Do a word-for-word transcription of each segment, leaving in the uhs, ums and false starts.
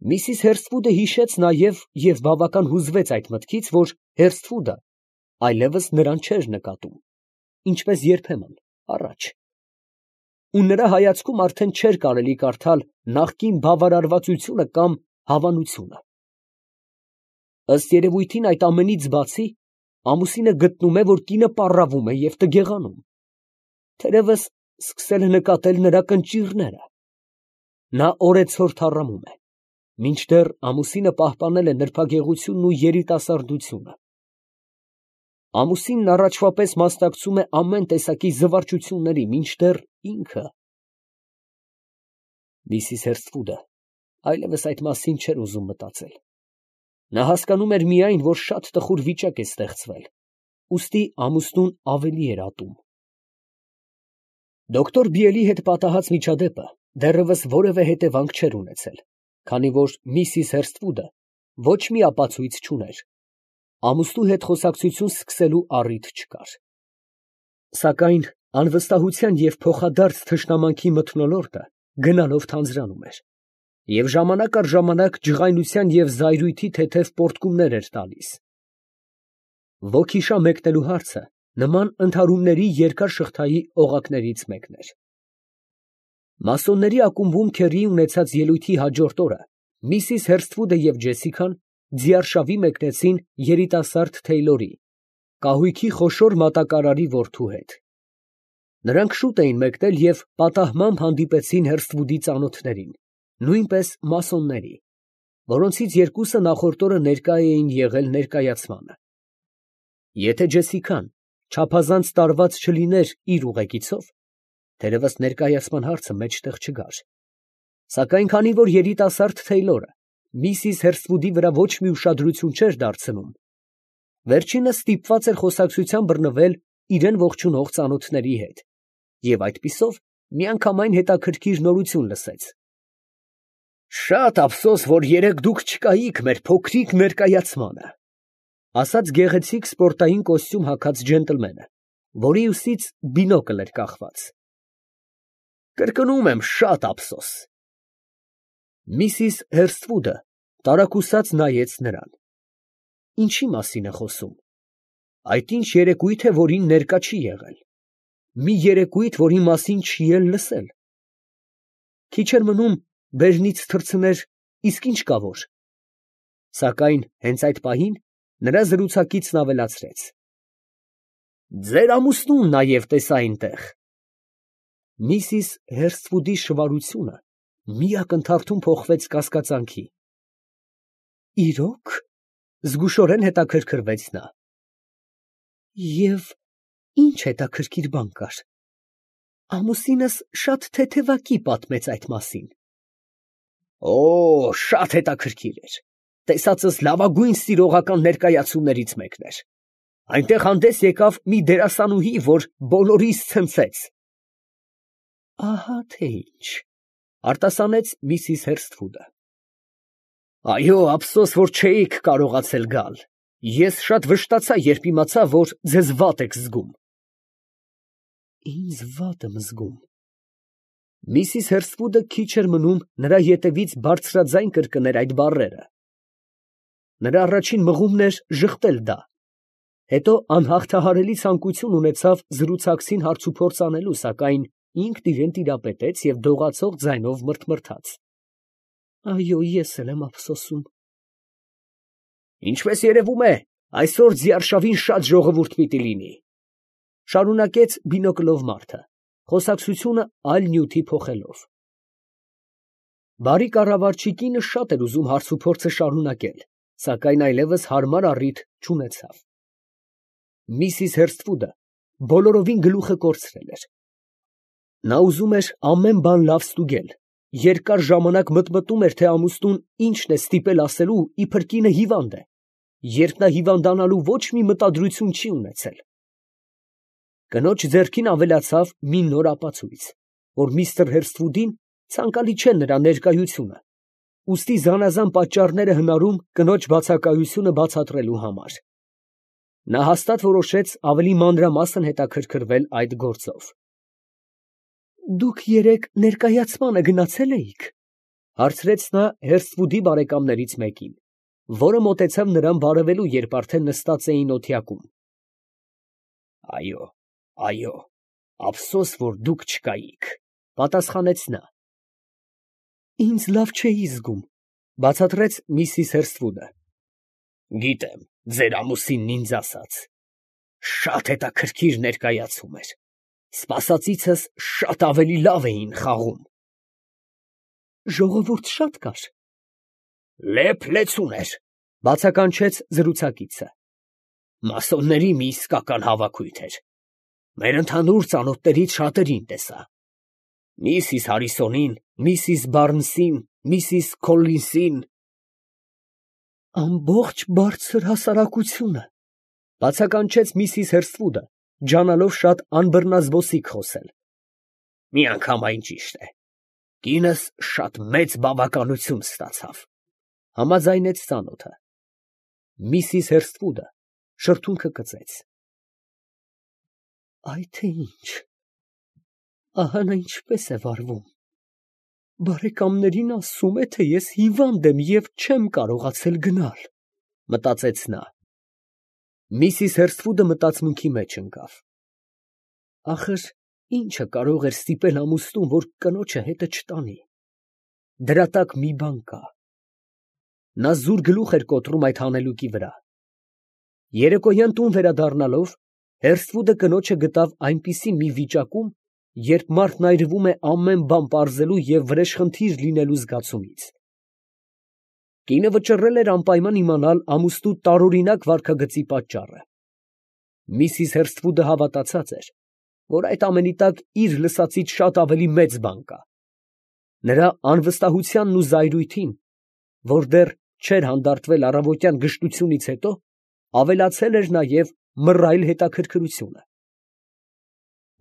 Միսիս Հերսթվուդը հիշեց նաև և բավական հուզվեց այդ մտքից, որ Հերսթվուդը այլևս նրան չէր նկատում, ինչպես երբեմն առաջ, ու նրա հայացքում արդեն չէր կարելի կարդալ նախկին բավարարվածությունը կամ հավանությունը։ Ըստ երևույթին, այդ ամենից բացի, ամուսինը գտնում է, որ կինը պառավում է և տգեղանում, թերևս սկսել է նկատել նրա կնճիռները. նա օրեցօր թառամում է, մինչդեռ ամուսինը պահպանել է նրբագեղությունն ու երիտասարդությունը։ Ամուսինն առաջվա պես մասնակցում է ամեն տեսակի զվարճությունների, մինչդեռ ինքը… Միսիս Հերսթվուդը այլևս այդ մասին չէր ուզում մտածել. նա հասկանում էր միայն, որ շատ տխուր վիճակ է ստեղծվել, ուստի ամուսնուն ավելի էր ատում։ Դոկտոր Բիելի հետ պատահած միջադեպը դեռևս որևէ հետևանք չէր ունեցել, քանի որ միսիս Հերսթվուդը ոչ մի ապացույց չուներ, ամուսնու հետ խոսակցություն սկսելու առիթ չկար։ Սակայն անվստահության և փոխադարձ թշնամանքի մթնոլորտը գնալով թանձրանում էր, և ժամանակ առ ժամանակ ջղայնության և զայրույթի թեթև պոռթկումներ էր տալիս։ Ոգիշա մեկնելու հարցը նման ընդհարումների երկար շղթայի օղակներից մեկն էր։ Մասոնների ակումբում քեռի ունեցած ելույթի հաջորդ օրը միսիս Հերսթվուդը և Ջեսիկան ձիարշավի մեկնեցին երիտասարդ Թեյլորի, կահույքի խոշոր մատակարարի որդու հետ։ Նրանք շուտ էին մեկնել և պատահմամբ հանդիպեցին Հերսթվուդի ծանոթներին, նույնպես մասոնների, որոնցից երկուսը նախորդ օրը ներկա էին եղել ներկայացմանը։ Եթե Ջեսիկան չափազանց տարված չլիներ իր ուղեկիցով, թերևս ներկայացման հարցը մեջտեղ չգար, սակայն քանի որ երիտասարդ Թեյլորը միսիս Հերսթվուդի վրա ոչ մի ուշադրություն չէր դարձնում, վերջինս ստիպված էր խոսակցության բռնվել իրան ողջունող ծանոթների հետ և այդպիսով միանգամայն հետաքրքիր նորություն լսեց։ «Շատ ափսոս, որ երեկ դուք չկայիք մեր փոքրիկ ներկայացմանը», ֊ ասաց գեղեցիկ սպորտային կոստյում հագած ջենտլմենը, որի ուսից բինոկլ էր կախված։ ֊ Կրկնում եմ, շատ ափսոս։ Միսիս Հերսթվուդը տարակուսած նայեց նրան։ Ինչի՞ մասին է խոսում։ Այդ ինչ երեկույթ է, որին ներկա չի եղել, մի երեկույթ, որի մասին չի էլ լսել։ Քիչ էր մնում բերնից թռցներ, իսկ ինչ կա որ… Սակայն հենց այդ պահին նրա զրուցակիցն ավելացրեց. «Ձեր ամուսնուն նաև տեսա այնտեղ»։ Միսիս Հերսթվուդի շվարությունը մի ակնթարթում փոխվեց կասկածանքի։ «Իրո՞ք» ֊ զգուշորեն հետաքրքրվեց նա։ «Եվ ի՞նչ հետաքրքիր բան կար։ Ամուսինս շատ թեթևակի պատմեց այդ մասին»։ «Օ, շատ հետաքրքիր էր, տեսածս լավագույն սիրողական ներկայացումներից մեկն էր։ Այնտեղ հանդես եկավ մի դերասանուհի, որ բոլորիս ցնցեց»։ «Ահա թե ինչ», ֊ արտասանեց միսիս Հերսթվուդը։ «Այո, ափսոս, որ չէիք կարողացել գալ. ես շատ վշտացա, երբ իմացա, որ ձեզ վատ եք զգում»։ «Ինձ վատ եմ զգում»։ Միսիս Հերսթվուդը քիչ էր մնում նրա ետևից բարձրաձայն կրկներ այդ բառերը։ Նրա առաջին մղումն էր ժխտել դա, հետո անհաղթահարելի ցանկություն ունեցավ զրուցակցին հարցուփորձ անելու, սակայն ինքն իրան տիրապետեց և դողացող ձայնով մռթմռթաց. «Այո, ես էլ եմ ափսոսում»։ «Ինչպես երևում է, այսօր ձիարշավին շատ ժողովուրդ պիտի լինի», ֊ շարունակեց բինոկլով մարդը, խոսակցությունը այլ նյութի փոխելով։ Բարի կառավարչի կինը շատ էր ուզում հարցուփորձը շարունակել, սակայն այլևս հարմար առիթ չունեցավ։ Միսիս Հերսթվուդը բոլորովին գլուխը կորցրել էր։ Նա ուզում էր ամեն բան լավ ստուգել, երկար ժամանակ մտմտում էր, թե ամուսնուն ինչն է ստիպել ասելու, իբր կինը հիվանդ է, երբ նա հիվանդանալու ոչ մի մտադրություն չի ունեցել։ Կնոջ ձեռքին ավելացավ մի նոր ապացույց, որ միստր Հերսթվուդին ցանկալի չէ նրա ներկայությունը, ուստի զանազան պատճառներ է հնարում կնոջ բացակայությունը բացատրելու համար։ Նա հաստատ որոշեց ավելի մանրամասն հետաքրքրվել այդ գործով։ «Դուք երեկ ներկայացմանը գնացե՞լ էիք»։ Հարցրեց նա Հերսվուդի բարեկամներից մեկին, որը մոտեցավ նրան բարևելու, երբ արդեն նստած էին օթյակում։ Այո, այո, ափսոս, որ դուք չկայիք, պատասխանեց նա։ Ինձ լավ չէի զգում, բացատրեց միսիս Հերսվուդը։ Գիտեմ, ձեր ամուսինն ինձ ասաց, շատ հետաքրքիր ներկայացում էր, սպասածիցս շատ ավելի լավ էին խաղում։ Ժողովուրդ շատ կար։ Լեփ-լեցուն էր, բացականչեց զրուցակիցը։ Մասոնների մի իսկական հավաքույթ էր։ Մեր ընդհանուր ծանոթներից շատերին տեսա։ Միսիս Հարիսոնին, միսիս Բարնսին, միսիս Քոլլինսին։ Ամբողջ բարձր հասարակությունը, բացականչեց միսիս Հերսվուդը, ջանալով շատ անբռնազբոսիկ խոսել։ Միանգամայն ճիշտ է։ Կինս շատ մեծ բավականություն ստացավ, համաձայնեց ծանոթը։ Միսիս Հերսվուդը շրթունքը կծեց։ Այ թե ինչ, ահա նա ինչպես է վարվում։ Բարեկամներին ասում է, թե ես հիվանդ եմ և չեմ կարողացել գնալ, մտածեց նա։ Միսիս Հերսվուդը մտածմունքի մեջ ընկավ։ Ախր ինչը կարող էր ստիպել ամուսնուն, որ կնոջը հետը չտանի։ Դրա տակ մի բան կա։ Նա զուր գլուխ էր կոտրում այդ հանելուկի վրա։ Երեկոյան տուն վերադառնալով, Հերսվուդը կնոջը գտավ այնպիսի մի վիճակում, երբ մարդն այրվում է ամեն բան պարզելու և վրեժխնդիր լինելու զգացումից։ Կինը վճռել էր անպայման իմանալ ամուսնու տարօրինակ վարքագծի պատճառը։ Միսիս Հերսվուդը հավատացած էր, որ այդ ամենի տակ իր լսածից շատ ավելի մեծ բան կա։ Նրա անվստահությանն ու զայրույթին, որ դեռ չէր հանդարտվել առավոտյան գժտությունից հետո, ավելացել էր նաև մռայլ հետաքրքրությունը։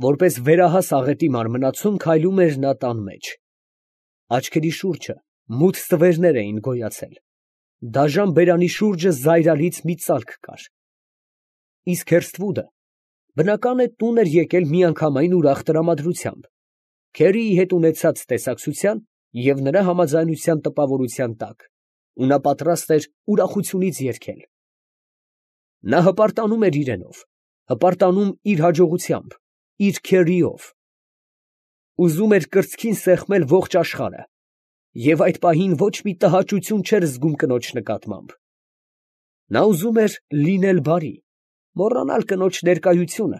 Որպես վերահաս աղետի մարմնացում քայլում էր նա տան մեջ։ Աչքերի շուրջը մութ ստվերներ էին գոյացել։ Դաժան բերանի շուրջը զայրալից մի ծալք կար։ Իսկ Հերսվուդը, բնական է, տուն էր եկել միանգամայն ուրախ տրամադրությամբ, քերիի հետ ունեցած տեսակցության և նրա համաձայնության տպավորության տակ, ու նա պատրաստ էր ուրախությունից երգել։ Նա հպարտանում էր իրենով, հպարտանում իր հաջողությամբ, իր քերիով։ Ուզում էր կրծքին սեղմել ողջ աշխարհը, և այդ պահին ոչ մի տհաճություն չէր զգում կնոջ նկատմամբ։ Նա ուզում էր լինել բարի, մոռանալ կնոջ ներկայությունը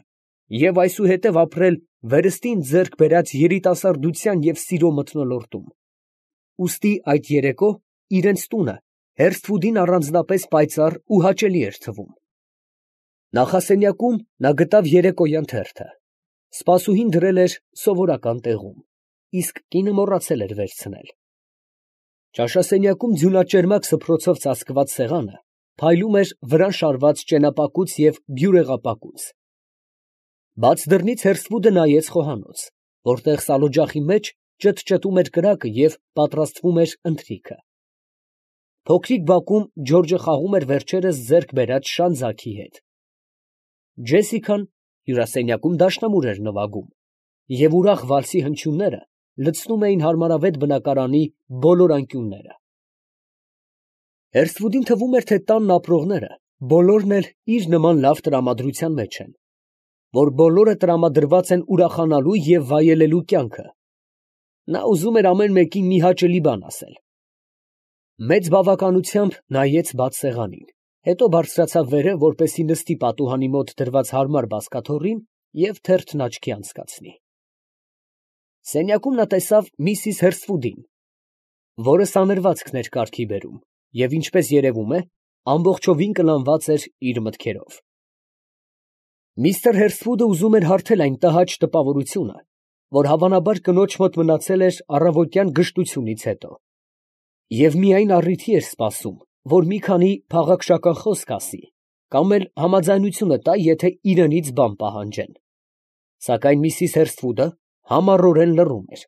և այսուհետև ապրել վերստին ձեռք բերած երիտասարդության և սիրո մթնոլորտում։ Ուստի այդ երեկո իրենց տունը Հերսվուդին առանձնապես պայծառ ու հաճելի էր թվում։ Նախասենյակում նա գտավ երեկոյան թերթը։ Սպասուհին դրել էր սովորական տեղում, իսկ կինը մոռացել էր վերցնել։ Ճաշասենյակում ձյունաճերմակ սփռոցով ծածկված սեղանը փայլում էր վրան շարված ճենապակուց և բյուրեղապակուց։ Բաց դռնից Հերսվուդը նայեց խոհանոց, որտեղ սալօջախի մեջ ճտճտում էր կրակը և պատրաստվում էր ընթրիքը։ Փոքրիկ բակում Ջորջը խաղում էր վերջերս ձեռք բերած շան ձագի հետ։ Ջեսիկան հյուրասենյակում դաշնամուր էր նվագում, և ուրախ վալսի հնչյունները լցնում էին հարմարավետ բնակարանի բոլոր անկյունները։ Հերսվուդին թվում էր, թե տանն ապրողները բոլորն էլ իր նման լավ տրամադրության մեջ են, որ բոլորը տրամադրված են ուրախանալու և վայելելու կյանքը։ Նա ուզում էր ամեն մեկին մի հաճելի բան ասել։ Մեծ բավականությամբ նայեց բաց սեղանին, հետո բարձրացավ վերև, որպեսզի նստի պատուհանի մոտ դրված հարմար բազկաթոռին և թերթն աչքի անցկացնի։ Սենյակում նա տեսավ միսիս Հերսվուդին, որը սանրվածքն էր կարգի բերում և, ինչպես երևում է, ամբողջովին կլանված էր իր մտքերով։ Միստր Հերսվուդը ուզում էր հարթել այն տհաճ տպավորությունը, որ հավանաբար կնոջ մոտ մնացել էր առավոտյան գժտությունից հետո, և միայն առիթի էր սպասում, որ մի քանի փաղաքշական խոսք ասի, կամ էլ համաձայնությունը տա, եթե իրենից բան պահանջեն։ Սակայն միսիս Հերսվուդը համառորեն լռում էր։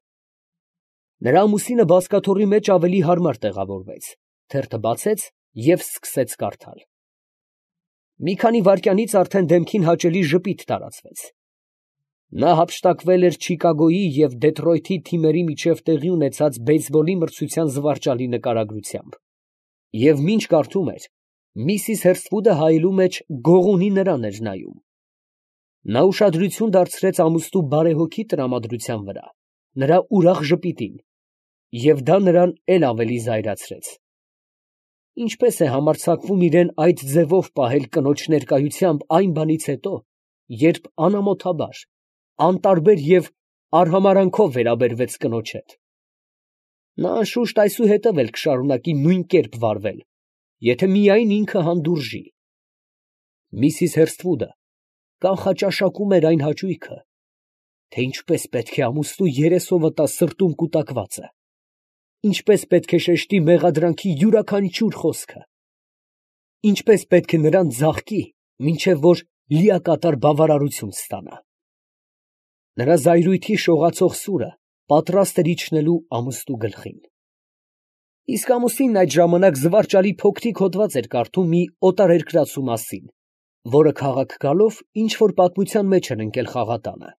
Նրա ամուսինը բազկաթոռի մեջ ավելի հարմար տեղավորվեց, թերթը բացեց և սկսեց կարդալ։ Մի քանի վայրկյանից արդեն դեմքին հաճելի ժպիտ տարածվեց։ Նա հափշտակվել էր Չիկագոյի և Դեթրոյթի թիմերի միջև տեղի ունեցած բեյսբոլի մրցության զվարճալի նկարագրությամբ, և մինչ կարդում էր, միսիս Հերսթվուդը հայելու մեջ գողունի նրան էր նայում. նա ուշադրություն դարձրեց ամուսնու բարեհոգի տրամադրության վրա, նրա ուրախ ժպիտին, և դա նրան էլ ավելի զայրացրեց. ինչպես է համարձակվում իրան այդ ձևով պահել կնոջ ներկայությամբ այն բանից հետո, երբ անամոթաբար, անտարբեր և արհամարհանքով վերաբերվեց կնոջ հետ. նա անշուշտ այսուհետև էլ կշարունակի նույն կերպ վարվել, եթե միայն ինքը հանդուրժի։ Միսիս Հերսթվուդը կանխաճաշակում էր այն հաճույքը, թե ինչպես պետք է ամուսնու երեսովը տա սրտում կուտակվածը, ինչպես պետք է շեշտի մեղադրանքի յուրաքանչյուր խոսքը, ինչպես պետք է նրան ձաղկի, մինչև որ լիակատար բավարարություն ստանա։ Նրա զայրույթի շողացող սուրը պատրաստ էր իջնելու ամուսնու գլխին։ Իսկ ամուսինն այդ ժամանակ զվարճալի փոքրիկ հոդված էր կարդում մի օտարերկրացու մասին, որը քաղաք գալով ինչ֊որ պատմության մեջ էր ընկել խաղատանը։